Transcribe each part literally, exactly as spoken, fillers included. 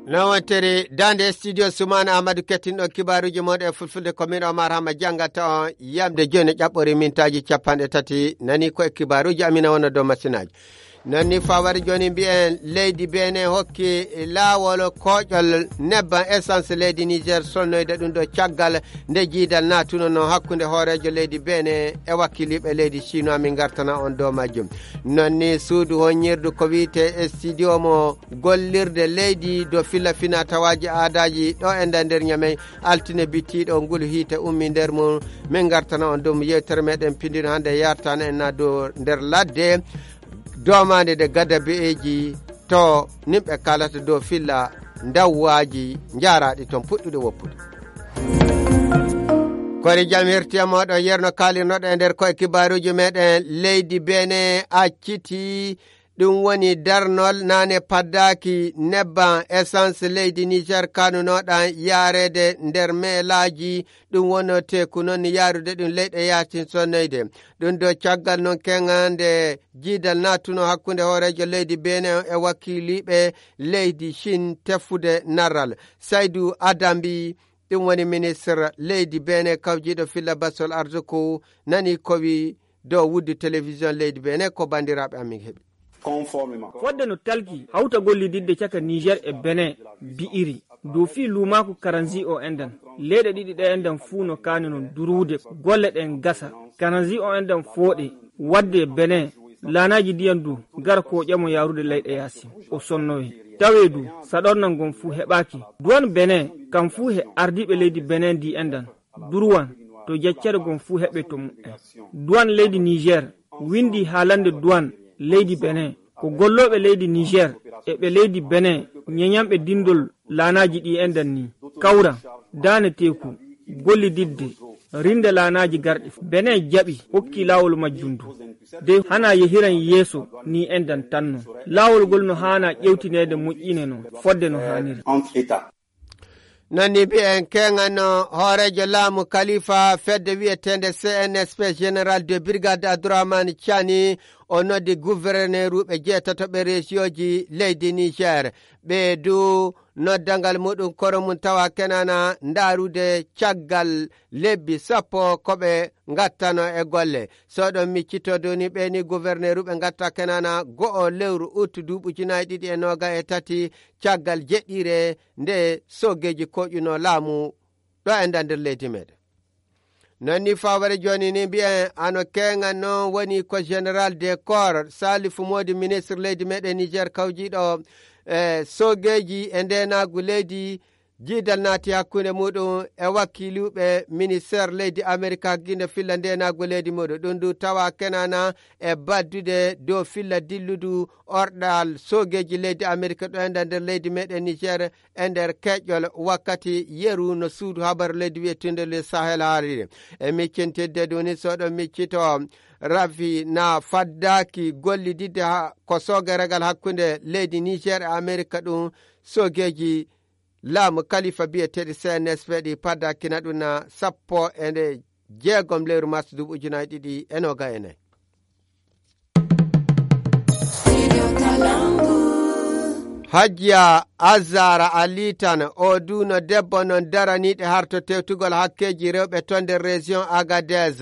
Lawantere dande studio Sumana Amadou kettinɗo kibaruji moɗo e fulfulde commune Omar Hama jangata on yamde joni ƴaɓɓori mintaji capanɗe tati nani ko e kibaruji amina wona dow machinaji nonni fawari joni mbiyen leydi Benin hokki lawol koƴol nebban essence leydi Niger sonnoyde ɗum ɗo caggal nde jiidal natuno no hakkunde hoorejo leydi Benin e wakkiliɓe leydi Chinois min gartana on dow majjum nonni suudu honnirdu ko wiite e studio mo gollirde leydi do filla fina tawaji aadaji ɗo e nder ñamey altine bittiɗo ngulu hiite ummi nder mum min gartana on dow yewtere meɗen pindino hande yartana en na dow nder ladde domande de gadda be'eji to nimɓe kalata dow filla dawwaji jaraɗi toon puɗɗude woppude kori jam hertiya moɗon yerno kalirnoɗo e nder koye kibaruji meɗen leydi Benin acciti ɗum woni darnol nane paddaki nebban essence leydi Niger kanunoɗan yarede nder meelaji ɗum wono teku noon yarude ɗum leyɗe yatin sonnoyde ɗum do caggal noon kengande jiidal natuno hakkunde hoorejo leydi Benin e wakkiliɓe leydi Chine tefude narral Saydou Adambi ɗum woni ministre leydi Benin kawjiɗo filla basol arsuku nani kowi dow wuddu télévision leydi Benin ko bandiraɓe amin heeɓi fodde no talki hawta gollididde caka Niger e Benin bi'iri dow fi lumaku karanzi o enden leyɗe ɗiɗi ɗe enden fuu no kaani non durude golle ɗen gasa karanzi o enden fooɗe wadde Benin laanaji ndiyan du gara ko ƴamo yarude leyɗe yaasi o sonnoyi tawe du saɗornan gon fuu heɓaki duwan Benin kam fuu he ardiɓe leydi Benin ndi enden durwan to jaccere gon fuu heɓe to mu'en duwan leydi Niger windi haalande duwan leydi Benin ko golloɓe leydi Niger e ɓe leydi Benin ñeñamɓe dindol laanaji ɗi enden ni kawra daane teku gollididde rinde laanaji garɗi Benin jaɓi hokki lawol majjundu de hana yehiran yeeso ni enden tanno lawol gol no hana ƴewtinede moƴƴine no fodde no haniri nonni mbiyen kengano hoorejo laamu Khalifa fedde wiyetende C N S P général de brigade Abdourahmane Tiani o noddi gouverneur uɓe jeetatoɓe région ji leydi Niger ɓe du noddangal muɗum koro mum tawa kenana ndarude caggal lebbi sappo koɓe gattano e golle soɗon miccitodoni ɓeni gouverneur uɓe gatta kenana go'o lewru août duuɓujunayi ɗiɗi e noga e tati caggal jeɗɗire nde soggeji koƴuno laamu ɗo e nda nder leydi meɗen nonni faware joni ni mbiyen ano kenga noon woni ko général des corps Salifou Modi ministre leydi meɗen Niger kawjiɗo e sogeji e ndenagu leydi jiidal naati hakkunde muɗum e wakkiluɓe ministére leydi Amérique guinde filla ndenagu leydi muɗum ɗum du tawa kenana e baddude dow filla dilludu orɗal sogeji leydi Amérique ɗo enda nder leydi meɗen Niger e nder keƴƴol wakkati yeru no suudu habaru leydi wiyetunde le Sahel haarire e miccintidde duni soɗo miccito rafi na faddaki gollididde ko sogeregal hakkunde leydi Niger e Amérique ɗum sogeji laamu Khalifa biyeteɗi C N S P ɗi paddakina ɗum na sappo e nde jeegom lewru mars duuɓi ujunayi ɗiɗi e noga e nayi Hajiya Azara Alitan o duno debbo non daraniɗe harto tewtugol hakkeji rewɓe ton nder région Agadez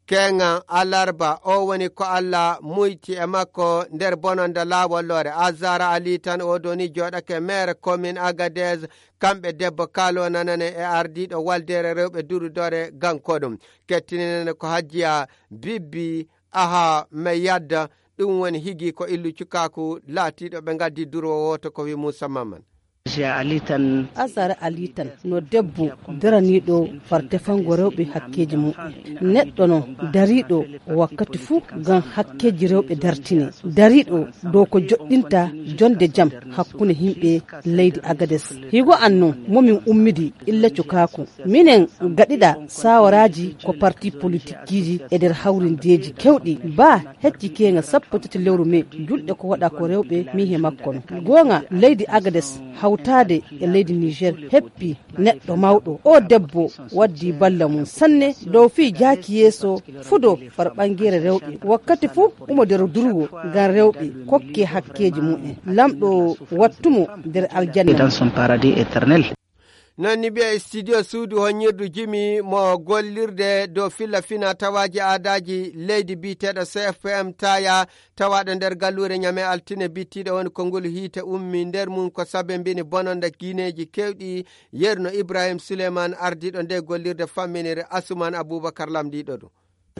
kenga alarba o woni ko Allah muyti e makko nder bononda laawol lore Azara Ali tan o doni joɗake maire commune Agadez kamɓe debbo kaalo nanane e ardiɗo waldere rewɓe durudore gankoɗum kettinene ko Hajiya Bibbi aha me yadda ɗum woni higi ko illu cukaku laatiɗo ɓe gaddi durwo woto ko wi Moussa Maman alitan asara alitan no debbo daraniɗo farte fango rewɓe hakkeji mum neɗɗo no dariɗo wakkati fuu gam hakkeji rewɓe dartine dariɗo dow ko joɗɗinta jonde jaam hakkunde himɓe leydi Agades higo anno momin ummidi illa cukaku minen gaɗiɗa sawaraji ko parti politique ji e nder hawrindeji kewɗi ba hecci kenga sappo tati lewru me julɗe ko waɗa ko rewɓe mi he makko no gonga leydi Agades haw hawtade e leydi Niger heppi neɗɗo mawɗo o debbo waddi balla mum sanne dow fi jaaki yeeso fudo far ɓangere rewɓe wakkati fuu umo nder durgo ngam rewɓe kokke hakkeji mumen lamɗo wattumo nder aljanna dans son paradis éternel. non ni ɓe studio suudu honnirdu jimi mo gollirde dow filla fina tawaji aadaji leydi biteɗo C F P M taya tawaɗo nder gallure ñame altine bittiɗo woni ko ngol hiite ummi nder mum ko sabe mbini bononda guineji kewɗi yerno Ibrahim Souleymane ardiɗo nde gollirde famminire Asuman Aboubacar lamdiɗo ɗum.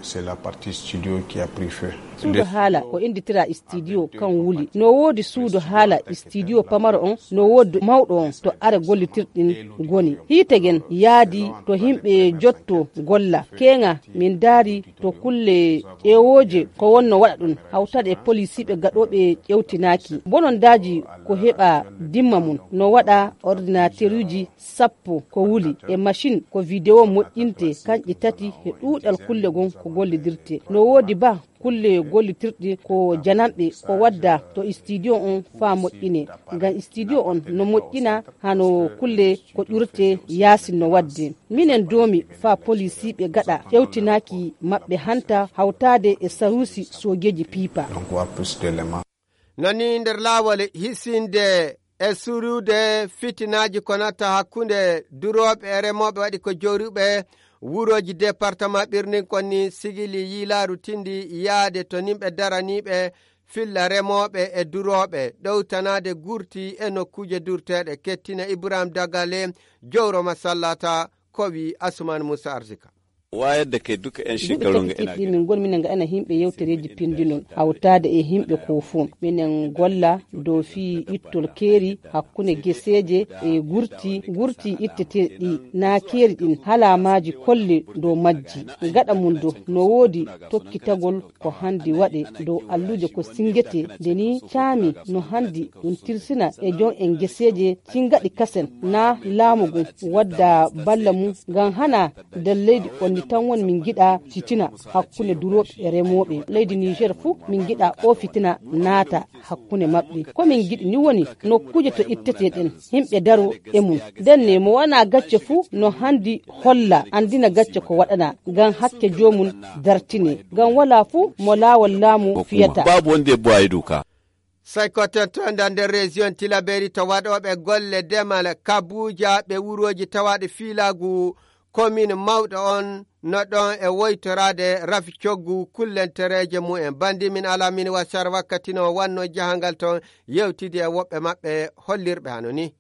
C'est la partie studio qui a pris feu. Suudu haala ko inditira studio kan wuli no woodi suudu haala studio pamaro on no woodi mawɗo on to are gollitirɗin goni hiitegen yaadi to himɓe jotto golla kenga min daari to kulle ƴeewoje ko wonno waɗa ɗum hawtade e policiɓe gaɗoɓe ƴewtinaki bonon daji ko heɓa dimma mum no waɗa ordinateur uji sappo ko wuli e machine ko vidéo moƴƴinte kanƴi tati e ɗuuɗal kulle gon ko gollidirte no woodi ba kulle gollitirɗi ko janamɓe ko wadda to studio on fa moƴƴine ngam studio on no moƴƴina hano kulle ko ƴurte yaasin no wadde minen doomi fa policiɓe gaɗa ƴewtinaki maɓɓe hanta hawtade e sarusi sogeji piipa nani nder laawol hisinde e surude fitinaji ko natta hakkunde duroɓe e remoɓe waɗi ko joruɓe wuroji département ɓirnin konni sigili yiilaaru tindi yaade to nimɓe daraniɓe filla remoɓe e duroɓe ɗowtanade gurti e nokkuje durteɗe kettina Ibrahim Dagale jowro masallata kowi Asuman Musa Arzika wayar da kai duka yan shekaru ga ina min gon minen ga ana himɓe yewtereji pindinon hawtade e himɓe ko fu minen golla dow fi ittol keeri hakkunde geseje e gurti gurti itteteɗi na keeri ɗin halamaji kolle dow majji gaɗa mum do no woodi tokkitagol ko handi waɗe dow alluje ko singete deni caami no handi ɗum tirsina e jon en geseje cingaɗi kasen na laamugu wadda balla mum ngam hana nder leydi on tan woni min giɗa fitina hakkunde duroɓe e remoɓe leydi Niger fuu min giɗa o fitina naata hakkunde maɓɓe ko min giɗi ni woni nokkuje to itteteɗen himɓe daro e mum denne mo wana gacce fuu no handi holla andina gacce ko waɗana ngam hakke jomum dartine ngam wala fuu mo laawol laamu fiyata babu wonde boye duka sai ko tettoda nder région Tilaberi to waɗoɓe golle demal Kabuja ɓe wuroji tawaɗe fiilaagu commune mawɗo on no ɗon e woytorade rafi coggu kullentereje mumen bandi min ala min wasar wakkati no wanno jahangal ton yewtidi e woɓɓe maɓɓe hollirɓe hano ni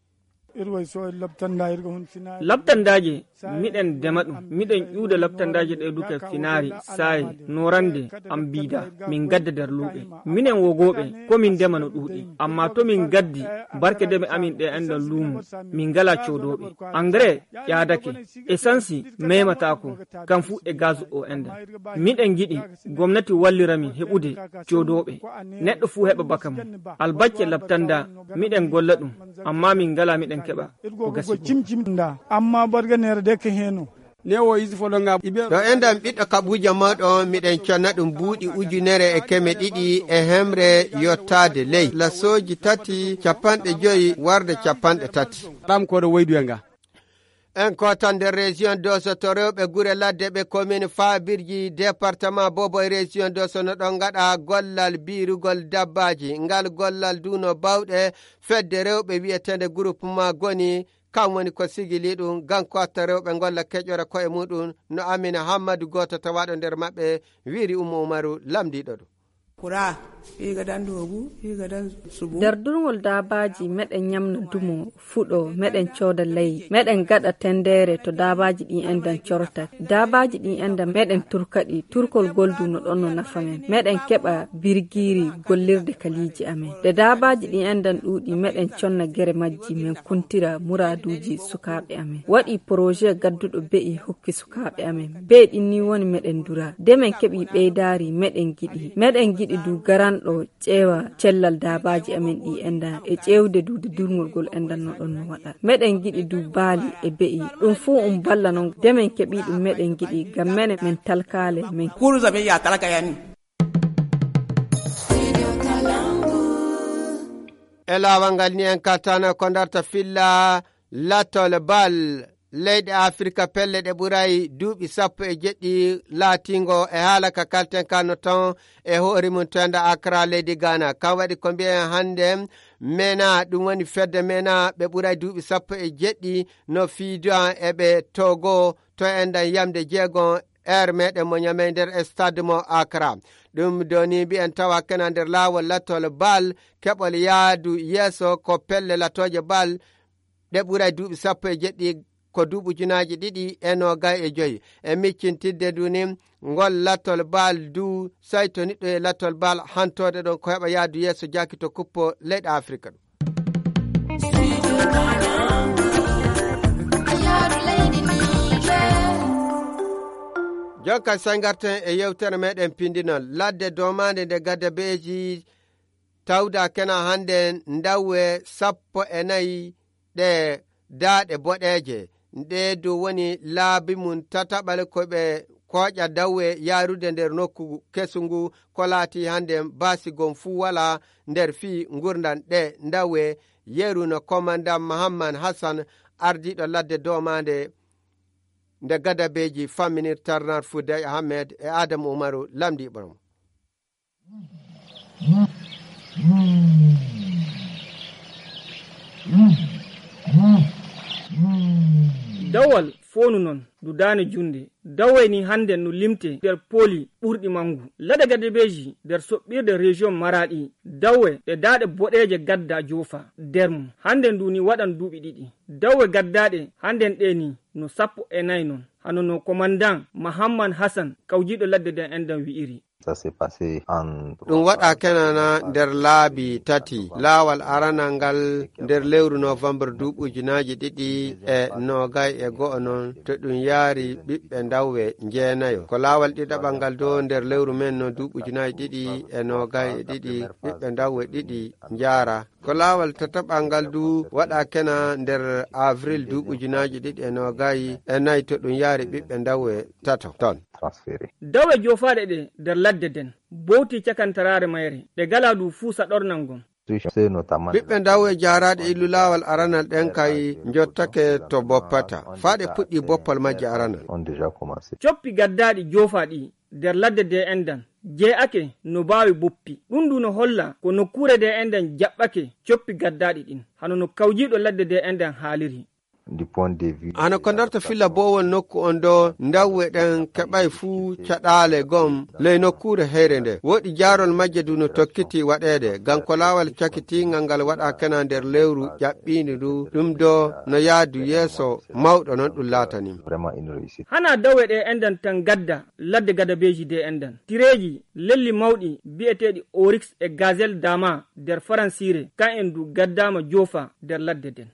labtandaji miɗen dema ɗum miɗen ƴuuda labtandaji ɗe duka finari sayi norande am biida min gadda nder luuɓe minen wogoɓe ko min dema no ɗuuɗi amma to min gaddi barke deme amin ɗe enɗon luumu min ngala codoɓe engrais ƴaadake essence mematako kam fu e gaz o enden miɗen giɗi gomnati walliramin heɓude codoɓe neɗɗo fu heɓa baka mum albacce labtanda miɗen golla ɗum amma min ngala miɗen keɓa ko gasi amma barganere de ke heno newo isi folonga to endam ɓiɗɗo Kabuja maɗo miɗen conna ɗum buuɗi ujunere e keme ɗiɗi e hemre yottade ley lasoji tati capanɗe joyi warde capanɗe tati ɗam koɗo woyduyenga en kotan nder région doso to rewɓe gure ladde ɓe commune Fabirji département Bobo e région doso no ɗon gaɗa gollal birugol dabbaji ngal gollal duno bawɗe fedde rewɓe wiyetede groupement goni kam woni ko sigili ɗum gankotta rewɓe golla keƴore koye muɗum no Amina Hammadou goto tawaɗo nder maɓɓe wiri Umu Umaru lamdiɗo ɗum kura higa dan dogu higa dan subu nder durngol dabaji meɗen nyamna dumo fuɗo meɗen coda ley meɗen gada tendere to dabaji ɗin endan corta dabaji ɗin endan meɗen turkaɗi turkol goldu no ɗon no nafa men meɗen keɓa birgiri gollirde kaliji amen de dabaji ɗin endan ɗuuɗi meɗen conna gere majji men kuntira muraduji sukaɓe amen waɗi projet gadduɗo be'i hokki sukaɓe amen be ɗin ni woni meɗen dura de men keɓi ɓeydari meɗen giɗi meɗen giɗi du garan ɗo ƴeewa cellal dabaji amen ɗi enda e ƴewde duude durngol gol endan no ɗon no waɗa meɗen giɗi du baali e be'i ɗum fuu um balla noon demen keɓi ɗum meɗen giɗi ngam mene min talkale min kuruza be ya talaka yani e laawol ngal ni en kaltano ko darta filla latol bal leyɗe afrika pelle ɗe ɓuray duuɓi sappo e jeɗɗi laatingo e haala ka kalten kanno ton e hoori mum to enda accra leydi ghana kam waɗi ko mbiyen hannde mena ɗum woni fedde mena ɓe ɓuray duuɓi sappo e jeɗɗi no fiidan eɓe togo to endan yamde jeegon ere meɗen mo ñamey nder stade mo accra ɗum doni mbi'en tawa kena nder laawol lattol bal keɓol yaadu yeeso ko pelle latoje bal ɗe ɓuray duuɓi sappo e jeɗɗi ko duuɓi ujunaji ɗiɗi e nogay e joyi e miccintidde duni ngol lattol bal du say to niɗɗo e lattol bal hantode ɗon ko heɓa yaadu yeeso jaki to kuppo leyɗe afrika ɗum jonka say garten e yewtere meɗen pindinol ladde domande nde gadda beeji tawda kena hande ndawwe sappo e nayi ɗe daaɗe boɗeje nde dow woni laabi mum tataɓal koɓe koƴa dawwe yarude nder nokku kesungu ko laati hande basigon fuu wala nder fii gurdan ɗe dawwe yeru no commandant mahammad hassan ardiɗo ladde domande nde gadabeji famminir tarnar fouday ahmed e adamu umaru lamdi ɓorom dawal fonu non dudane junde daway ni hande no limte nder poli ɓurɗi mangu lada gadabeji nder soɓɓirde région maradi dawwe ɗe daɗe boɗeje gadda jofa nder mum hande nduni waɗan duuɓi ɗiɗi dawwe gaddaɗe handen ɗe ni no sappo e nayi non hano no commandant mahammad hassan kawjiɗo ladde den endan wi'iri ɗum waɗa kenana nder laabi tati laawal aranal ngal nder lewru novembre duuɓi ujunaji ɗiɗi e nogay e go'o noon to ɗum yaari ɓiɓɓe dawwe jeenayo ko laawal ɗiɗaɓal ngal do nder lewru men no duuɓi ujunaji ɗiɗi e nogay e ɗiɗi ɓiɓɓe dawwe ɗiɗi jaara ko laawal tataɓal ngal du waɗa kena nder avril duuɓi ujunaji ɗiɗi e nogay e nayi to ɗum yaari ɓiɓɓe dawwe tato ton dawwe jofaɗe ɗe nder ladde den bowti cakantarare mayre ɗe gala du fuu saɗornal ngon ɓiɓɓe dawwe jaraɗe illu laawal aranal ɗen kay jottake to boppata faaɗe puɗɗi boppal majje aranal coppi gaddaɗi jofaɗi nder ladde de endan jee'ake no baawi boppi ɗum du no holla ko nokkure de endan jaɓɓake coppi gaddaɗi ɗin hano no kawjiɗo ladde de endan haaliri hano ko darta filla bowol nokku on do dawwe ɗen keɓay fuu caɗaale gom ley nokkure heyre nde woɗi jaarol majje du no tokkiti waɗede gam ko laawal cakkitingal ngal waɗa kena nder lewru ƴaɓɓindi du ɗum do no yaadu yeeso mawɗo noon ɗum laatanim hana dawwe ɗe endan tan gadda ladde gadabeji de endan tireji lelli mawɗi bi'eteɗi oryx e gazelle dama nder faransire kan en du gaddama jofa nder ladde den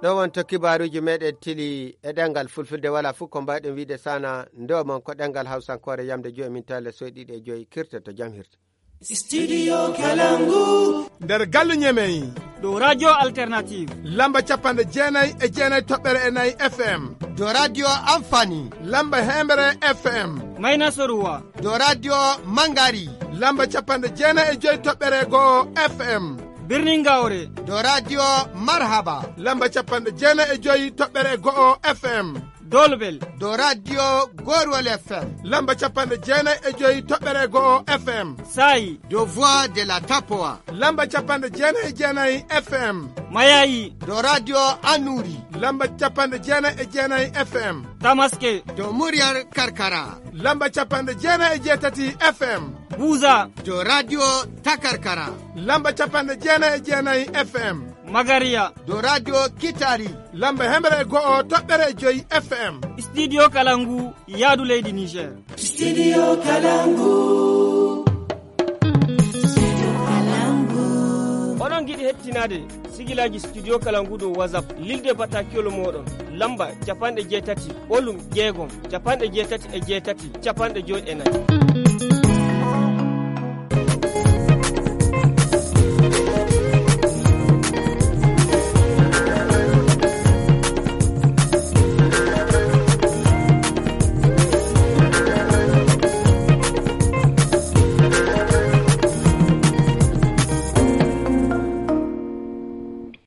ɗo wonto kibaruji meɗen tili e ɗengal fulfulde wala fuu ko mbawɗen wiide sana ndo mon ko ɗengal hawsankore yamde joyi min tale soyɗiɗi e joyi kirte to jam hirte studio kalangu nder galle ñemeyi ɗo radio alternative lamba capanɗe jeenayyi e jeenayyi toɓɓere e nayyi fm do radio amfani lamba hemere fm mayna soruwa do radio mangari lamba capanɗe jeenayyi e joyi toɓɓere go'o fm birnin gawre do radio marhaba lamba capanɗe jeenayyi e joyi toɓɓere go'o fm dolbel do radio gorwol fm lamba capanɗe jeenayyi e joyi toɓɓere go'o fm sayi do voix de la tapoa lamba capanɗe jeenayyi e jeenayyi fm mayayi do radio anuri lamba capanɗe jeenayyi e jeenayyi fm tamaske do muryar karkara lamba capanɗe jeenayyi e jeetati fm buza do radio takarkara lamba capanɗe jeenayyi e jeenayyi fm magariya do radio kitari lamba hemere go'o toɓɓere joyi fm studio kalangu yaadu leydi niger studio kalangu studio kalangu oɗon giɗi hettinade sigilaji studio kalangu dow whatsapp lilde batakiyol moɗon lamba capanɗe jeetati ɓolum jeegom capanɗe jeetati e jeetati capanɗe joyi e nayi